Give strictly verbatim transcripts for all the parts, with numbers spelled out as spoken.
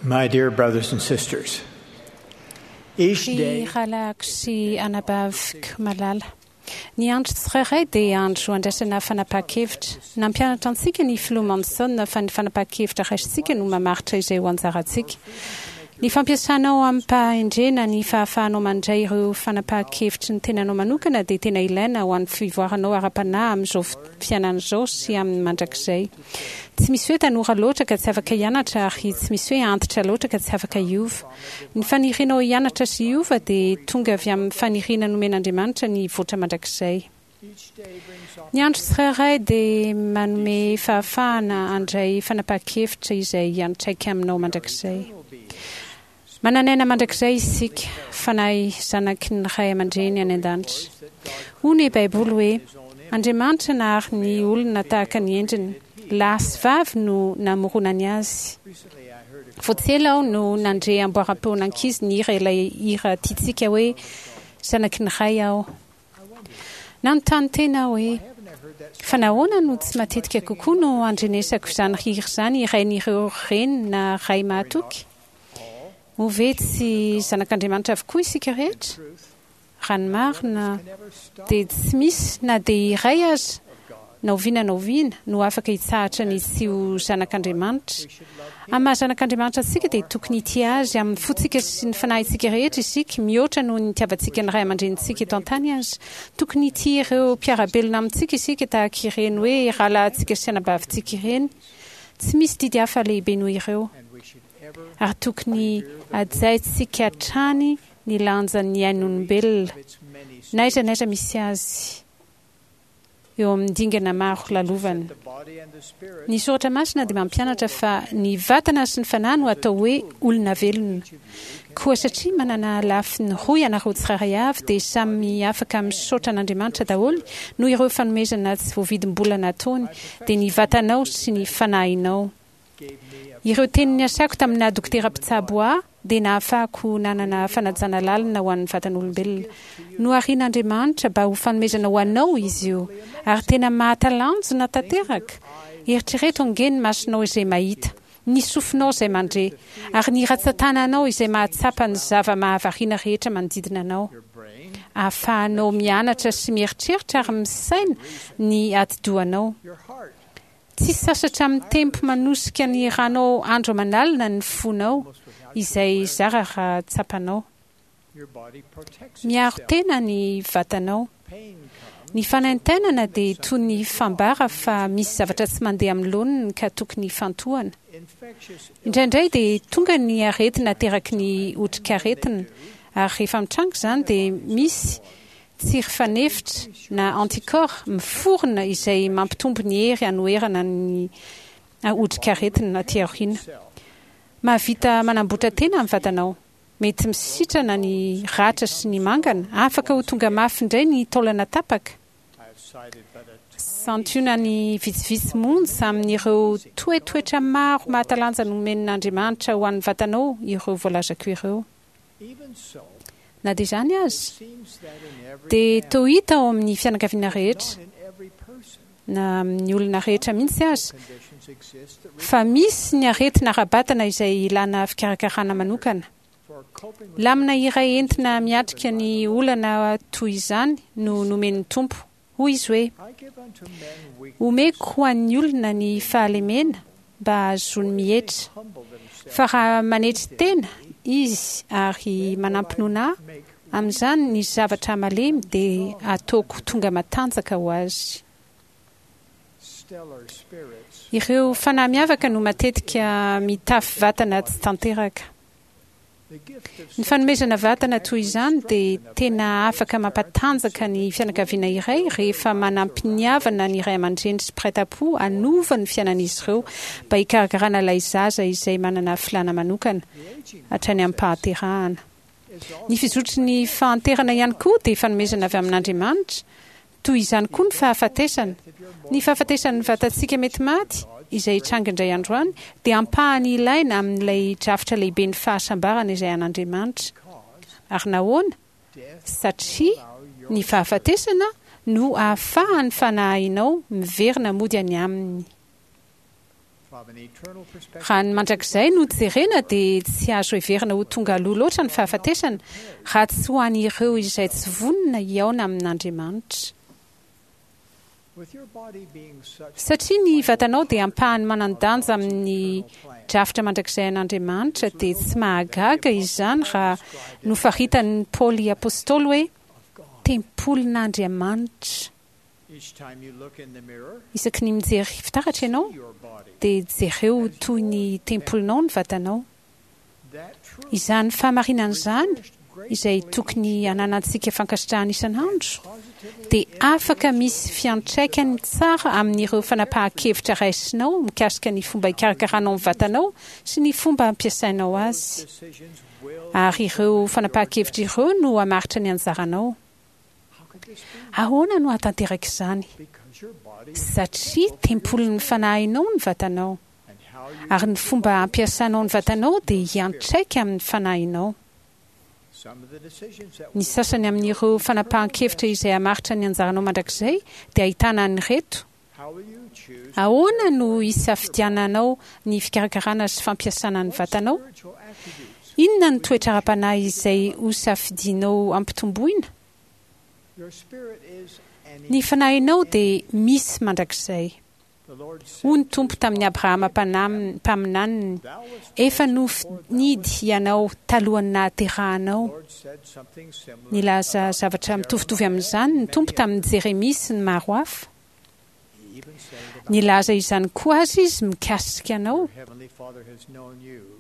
My dear brothers and sisters, each Ry day rahalahiko sy anabaviko malala, ny andro tsirairay dia andro andraisana fanapahan-kevitra. Nampianatra antsika ny filoha Monson fa ny fanapahan-kevitra raisintsika no mamaritra izay ho anjarantsika. Ny fampiasanao amim-pahendrena ny fahafahanao mandray ireo fanapahan-kevitry ny tenanao manokana dia tena ilaina ho an'ny fivoaranao ara-panahy amin'izao fiainana izao sy amin'ny mandrakizay. Tsy misy hoe tanora loatra ka tsy afaka hianatra ary tsy misy hoe antitra loatra ka tsy afaka hiova. Ny fanirianao hianatra sy hiova dia tonga avy amin'ny faniriana nomen'Andriamanitra ny hivoatra mandrakizay. Ny andro tsirairay dia manome fahafahana handray fanapahan-kevitra izay hiantraika aminao mandrakizay. Manana aina mandrakizay isika, fanahy zanaky ny ray aman-dreny any an-danitra. Hoy ny Baiboly hoe, Andriamanitra nahary ny olona tahaka ny endriny, lahy sy vavy no namoronany azy. Vao tsy ela aho no nandre amboaram-peon'ankizy nihira ilay hira tiantsika hoe Zanaky ny Ray aho. Nanontany tena aho hoe, Fa nahoana no tsy matetika kokoa no andrenesako izany hira izany hirain'ireo reny na ray mahatoky? Moa ve tsy zanak'Andriamanitra avokoa isika rehetra? Raha ny marina, dia tsy misy na dia iray aza, na oviana na oviana, no afaka hitsahatra ny tsy ho zanak'Andriamanitra. Amin'ny maha zanak'Andriamanitra antsika, dia tokony hitia Azy amin'ny fontsika sy ny fanahintsika rehetra isika, mihoatra noho ny nitiavantsika ny ray aman-drenintsika eto an-tany aza. Tokony hitia ireo mpiara-belona amintsika isika, tahaka ireny hoe rahalahintsika sy anabavintsika ireny. Tsy misy didy hafa lehibe noho ireo. Ary tokony hajaintsika hatrany ny lanjan'ny ain'olombelona, na aiza na aiza misy azy, eo amin'ny dingana maro lalovany. Ny Soratra Masina dia mampianatra fa ny vatana sy ny fanahy no atao hoe olona velona. Koa satria manana lafiny roa ianareo tsirairay avy, dia samy afaka misaotra an'Andriamanitra daholo noho ireo fanomezana tsy voavidim-bola nataony, dia ny vatanao sy ny fanahinao. Ireo teny niasako tamin'ny naha dokotera mpitsabo ahy dia nahafahako nanana fanajana lalina ho an'ny vatan'olombelona. Noharian'Andriamanitra mba ho fanomezana ho anao izy io, ary tena mahatalanjona tanteraka! Eritrereto ange ny masonao izay mahita, ny sofinao izay mandre, ary ny ratsan-tananao izay mahatsapa ny zava-mahavariana rehetra manodidina anao. Ahafahanao mianatra sy mieritreritra ary misaina ny atidohanao. Tsy sasatra mitempo manosika ny ranao andro aman'alina ny fonao, izay zara raha tsapanao. Miaro tena ny vatanao. Ny fanaintainana dia toy ny fambara fa misy zavatra tsy mandeha amin'ny laoniny ka tokony hifantohana. Indraindray dia tonga ny aretina ateraky ny otrikaretina, ary rehefa mitranga izany dia misy tsiry fanefitra na anticorps miforona izay mampitombo ny hery hanoherana ny otrikaretina aty aoriana. Mahavita manamboatra tena ny vatanao. Mety misitrana ny ratra sy ny mangana, afaka ho tonga mafy indray ny taolana tapaka. Santionany vitsivitsy monja amin'ireo toetoetra maro mahatalanjana nomen'Andriamanitra ho an'ny vatanao ireo voalazako ireo. Na dia izany aza, dia toa hita ao amin'ny fianakaviana rehetra, na amin'ny olona rehetra mihitsy aza, fa misy ny aretina ara-batana izay ilana fikarakarana manokana. Lamina iray entina miatrika ny olana toy izany no nomen'ny Tompo. Hoy izy hoe, Omeko ho an'ny olona ny fahalemena mba hahazoany mihetra. Fa raha manetry tena izy ary manampinoana Ahy, amin'izany ny zavatra malemy dia hataoko tonga matanjaka ho azy. Ireo fanahy miavaka no matetika mitafy vatana tsy tanteraka. Ny fanomezana vatana toy izany dia tena afaka mampatanjaka ny fianakaviana iray rehefa manam-piniavana ny ray aman-dreny sy mpiray tam-po hanova ny fiainan'izy ireo mba hikarakarana ilay zaza izay manana filàna manokana hatrany am-pahaterahana. Ny fizotry ny fahanterana ihany koa dia fanomezana avy amin'Andriamanitra. Toy izany koa ny fahafatesana. Ny fahafatesan'ny vatantsika mety maty, izay hitranga indray andro any, dia ampahany ilaina amin'ilay drafitra lehiben'ny fahasambarana izay an'Andriamanitra. Ary nahoana? Satria ny fahafatesana no ahafahan'ny fanahinao miverina mody any Aminy. Raha ny mandrakizay no jerena dia tsy azo heverina ho tonga aloha loatra ny fahafatesana raha tsy ho an'ireo izay tsy vonona hihaona amin'Andriamanitra. Satria ny vatanao dia ampahany manan-danja amin'ny drafitra mandrakizay an'Andriamanitra dia tsy mahagaga izany raha nofaritan'i Paoly Apostoly hoe tempolin'Andriamanitra. Isaky ny mijery fitaratra ianao dia jereo toy ny tempolinao ny vatanao. Izany fahamarinana izany, izay tokony hananantsika fankasitrahana isan'andro, dia afaka misy fiantraikany tsara amin'ireo fanapahan-kevitra raisinao mikasika ny fomba hikarakaranao ny vatanao sy ny fomba ampiasainao azy. Ary ireo fanapahan-kevitra ireo no hamaritra ny anjaranao. Ahoana no hahatanteraka izany? Satria tempolin'ny fanahinao ny vatanao. Ary ny fomba ampiasanao ny vatanao dia hiantraika amin'ny fanahinao. Ny sasany amin'ireo fanapahan-kevitra izay hamaritra ny anjaranao mandrakizay dia ahitana an'ireto: Ahoana no hisafidiananao ny fikarakarana sy fampiasana ny vatanao? Inona ny toetra ara-panahy izay hosafidianao hampitomboina? Ny fanahinao dia misy mandrakizay. Hoy ny Tompo tamin'i Abrahama mpaminaniny, Efa nofinidy ianao talohan'ny nahaterahanao. Nilaza zavatra mitovitovy amin'izany ny Tompo tamin'i Jeremia sy ny maro hafa. Nilaza izany koa aza Izy mikasika anao.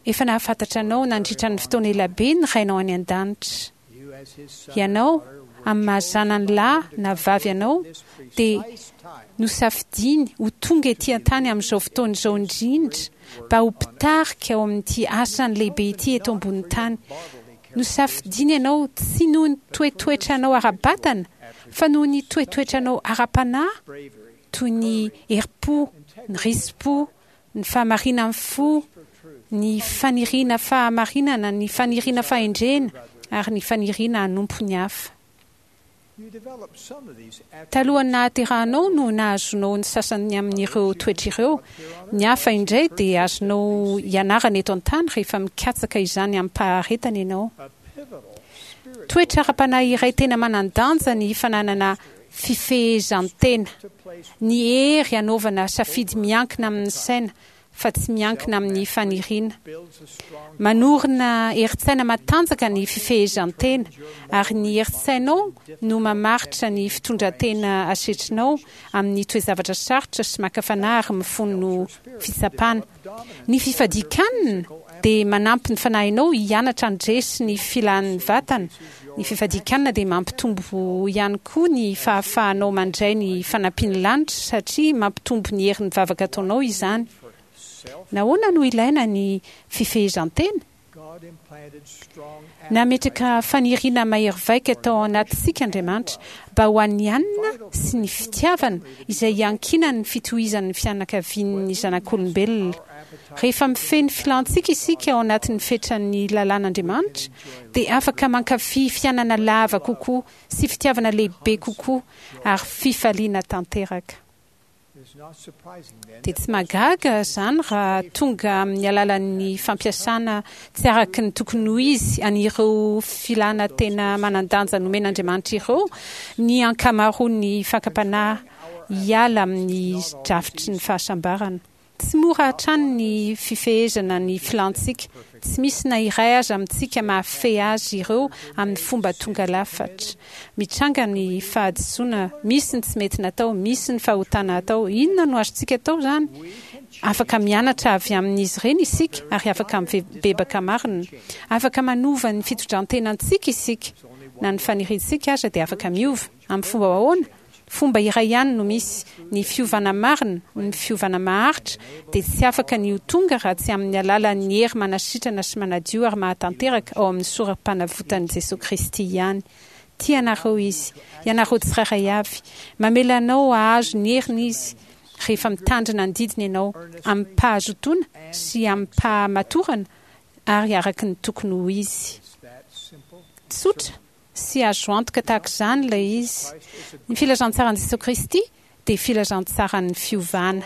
Efa nahafantatra anao nandritra ny fotoana elabe ny Rainao any An-danitra. Ianao, amin'ny maha-zanany lahy na vavy anao, dia nosafidiany ho tonga ety an-tany amin'izao fotoana izao indrindra mba ho mpitarika ao amin'ity asany lehibe ity eto ambonin'ny tany. Nosafidiany ianao tsy noho ny toetoetranao ara-batana, fa noho ny toetoetranao ara-panahy, toy ny herim-po, ny risi-po, ny fahamarinan'ny fo, ny faniriana fahamarinana, ny faniriana fahendrena, ary ny faniriana hanompo ny hafa. Talohan'ny nahaterahanao no nahazoanao ny sasany amin'ireo toetra ireo. Ny hafa indray dia azonao ianarana eto an-tany rehefa mikatsaka izany amim-paharetana ianao. Toetra ara-panahy iray tena manan-danja ny fananana fifehezan-tena, ny hery hanaovana safidy miankina amin'ny saina fa tsy miankina amin'ny faniriana. Manorina herin-tsaina matanjaka ny fifehezan-tena, ary ny herin-tsainao no mamaritra ny fitondran-tena asetrinao amin'ny toe-javatra sarotra sy maka fanahy ary mifono fitsapana. Ny fifadian-kanina dia manampy ny fanahinao hianatra handresy ny filan'ny vatana. Ny fifadian-kanina dia mampitombo ihany koa ny fahafahanao mandray ny fanampian'ny lanitra satria mampitombo ny herin'ny vavaka ataonao izany. Nahoana no ilaina ny fifehezan-tena? Nametraka faniriana mahery vaika tao anatintsika Andriamanitra mba ho an'ny hanina sy ny fitiavana izay iankinan'ny fitohizan'ny fianakavian'ny zanak'olombelona. Rehefa mifehy ny filantsika isika ao anatin'ny fetran'ny lalàn'Andriamanitra, dia afaka mankafy fiainana lava kokoa sy fitiavana lehibe kokoa ary fifaliana tanteraka. Dia tsy mahagaga izany raha tonga amin'ny alalan'ny fampiasana tsy araka ny tokony ho izy an'ireo filana tena manan-danja nomen'Andriamanitra ireo ny ankamaroan'ny fakam-panahy hiala amin'ny drafitry ny fahasambarana. Tsy mora hatrany ny fifehezana ny filantsika. Tsy misy na iray aza amintsika mahafehy azy ireo amin'ny fomba tonga lafatra. Mitranga ny fahadisoana, misy ny tsy mety natao, misy ny fahotana atao. Inona no azontsika atao izany? Afaka mianatra avy amin'izy ireny isika ary afaka mibebaka marina. Afaka manova ny fitondran-tenantsika isika. Na ny faniriantsika aza dia afaka miova. Amin'ny fomba ahoana? Fomba iray ihany no misy, ny fiovana marina, ny fiovana maharitra, dia tsy afaka ny ho tonga raha tsy amin'ny alalan'ny hery manasitrana sy manadio ary mahatanteraka ao amin'ny soram-panavotan'i Jesoa Kristy ihany. Tia anareo Izy, ianareo tsirairay avy. Mamela anao hahazo ny heriny Izy rehefa mitandrina ny didiny ianao, amim-pahazotoana sy amim-pahamatorana ary araka ny tokony ho izy. Tsotra sy azo antoka tahaka izany ilay izy. Ny filazantsaran'i Jesoa Kristy dia filazantsaran'ny fiovana.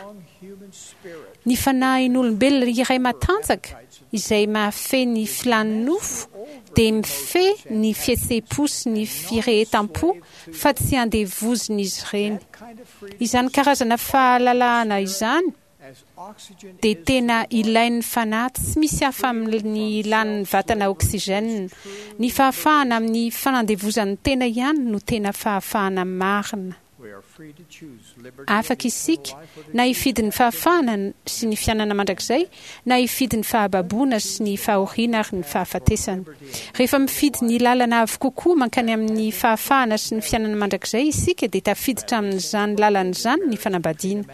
Ny fanahin'olombelona iray matanjaka izay mahafehy ny filan'ny nofo dia mifehy ny fihetseham-po sy ny firehetam-po fa tsy andevozin'izy ireny. Izany karazana fahalalahana izany dia tena ilain'ny fanahy, tsy misy hafa amin'ny ilan'ny vatana oxygène. Ny fahafahana amin'ny fanandevozan'ny tena ihany no tena fahafahana marina. Afaka isika na hifidy ny fahafahana sy ny fiainana mandrakizay, na hifidy ny fahababoana sy ny fahoriana ary ny fahafatesana. Rehefa mifidy ny lalana avo kokoa mankany amin'ny fahafahana sy ny fiainana mandrakizay isika, dia tafiditra amin'izany lalana izany ny fanambadiana.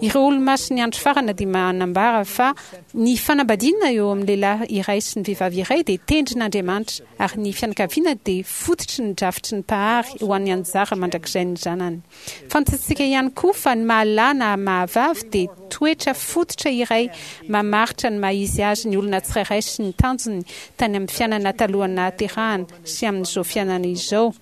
Ireo olomasin'ny andro farany dia manambara fa ny fanambadiana eo amin'ny lehilahy iray sy ny vehivavy iray dia tendrin'Andriamanitra, ary ny fianakaviana dia fototry ny drafitry ny Mpahary ho an'ny anjara mandrakizain'ny zanany. Fantatsika ihany koa fa ny maha-lahy na maha-vavy dia toetra fototra iray mamaritra ny maha-izy azy ny olona tsirairay sy ny tanjony tany amin'ny fiainana talohan'ny nahaterahana sy amin'izao fiainana izao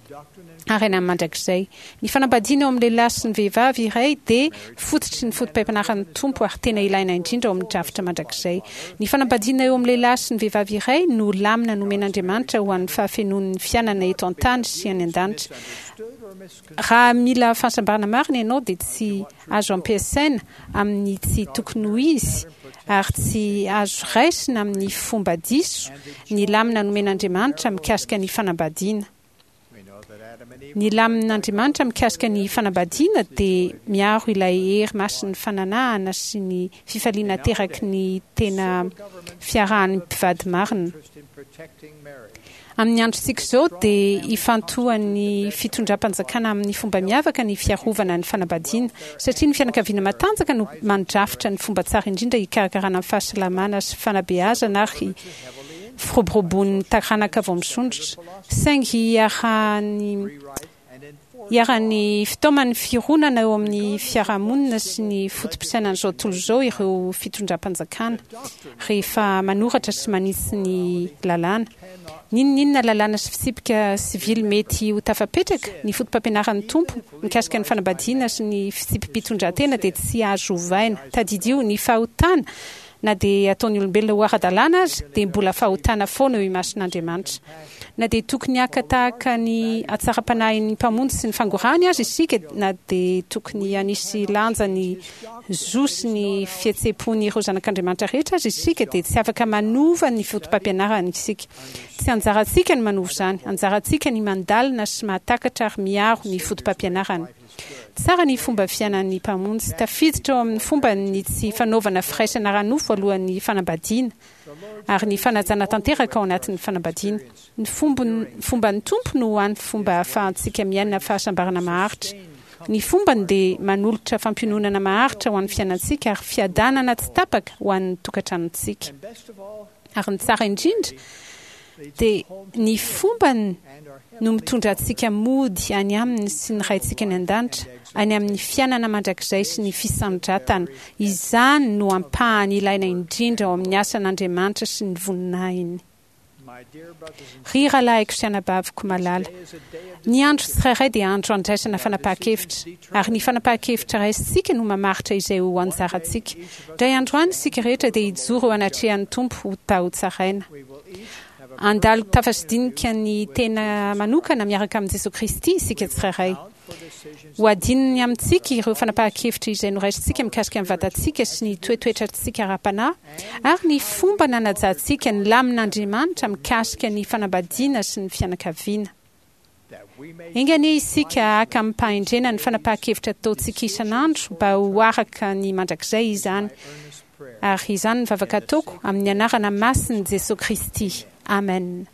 ary any amin'ny mandrakizay. Ny fanambadiana eo amin'ny lehilahy sy ny vehivavy iray dia fototry ny fotopampianaran'ny Tompo ary tena ilaina indrindra ao amin'ny drafitra mandrakizay. Ny fanambadiana eo amin'ny lehilahy sy ny vehivavy iray no lamina nomen'Andriamanitra ho an'ny fahafenoan'ny fiainana eto an-tany sy any an-danitra. Raha mila fahasambarana marina ianao dia tsy azo ampiasaina amin'ny tsy tokony ho izy ary tsy azo raisina amin'ny fomba diso ny lamina nomen'Andriamanitra mikasika ny fanambadiana. Ny lamin'Andriamanitra mikasika ny fanambadiana dia miaro ilay hery masin'ny fananahana sy ny fifaliana ateraky ny tena fiarahan'ny mpivady marina. Amin'ny androntsika izao dia ifantohan'ny fitondram-panjakana amin'ny fomba miavaka ny fiarovana ny fanambadiana, satria ny fianakaviana matanjaka no mandrafitra ny fomba tsara indrindra hikarakarana ny fahasalamana sy fanabeazana ary firoboroboan'ny taranaka vao misondrotra. Saingy iarahan'ny Iharan'ny fitaoman'ny fironana eo amin'ny fiarahamonina sy ny foto-pisainan'izao tontolo izao ireo fitondram-panjakana rehefa manoratra sy manitsy ny lalàna. N'inon'inona lalàna sy fitsipika sivily mety ho tafapetraka, ny foto-pampianaran'ny Tompo mikasika ny fanambadiana sy ny fitsipi-pitondran-tena dia tsy azo ovaina. Tadidio, ny fahotana, na dia ataon'ny olombelona ho ara-dalàna aza, dia mbola fahotana foana eo imason'Andriamanitra. Na dia tokony haka tahaka ny hatsaram-panahin'ny Mpamonjy sy ny fangorahany aza isika, na dia tokony hanisy lanja ny zo sy ny fihetseham-pon'ireo zanak'Andriamanitra rehetra aza isika, dia tsy afaka manova ny fotopampianarany isika. Tsy anjarantsika ny manova izany. Anjarantsika ny mandalina sy mahatakatra ary miaro ny fotopampianarany. Tsara ny fomba fiainan'ny Mpamonjy. Tafiditra ao amin'ny fombany ny tsy fanaovana firaisana ara-nofo alohan'ny fanambadiana, ary ny fanajana tanteraka ao anatin'ny fanambadiana. Ny fomban'ny Tompo no hany fomba ahafahantsika miaina fahasambarana maharitra. Ny fombany dia manolotra fampiononana maharitra ho an'ny fiainantsika ary fiadanana tsy tapaka ho an'ny tokantranontsika. Ary ny tsara indrindra dia ny fombany no mitondra antsika mody any Aminy sy ny Raintsika any An-danitra, any amin'ny fiainana mandrakizay sy ny fisandratana. Izany no ampahany ilaina indrindra ao amin'ny asan'Andriamanitra sy ny voninahiny. Ry rahalahiko sy anabaviko malala, ny andro tsirairay dia andro andraisana fanapahan-kevitra, ary ny fanapahan-kevitra raisintsika no mamaritra izay ho anjarantsika. Indray andro any isika rehetra dia hijoro eo anatrehan'ny Tompo ho ta hotsaraina. Handalo tafa sy dinika ny tena manokana miaraka amin'i Jesoa Kristy isika tsirairay. Ho adinony amintsika ireo fanapahan-kevitra izay noraisintsika mikasika ny vatantsika sy ny toetoetrantsika ara-panahy ary ny fomba nanajantsika ny lamin'Andriamanitra mikasika ny fanambadiana sy ny fianakaviana. Enga anie isika haka amim-pahendrena ny fanapahan-kevitra ataontsika isan'andro mba ho araka ny mandrakizay izany. Ary izany ny vavaka ataoko amin'ny anarana masin'i Jesoa Kristy. Amen.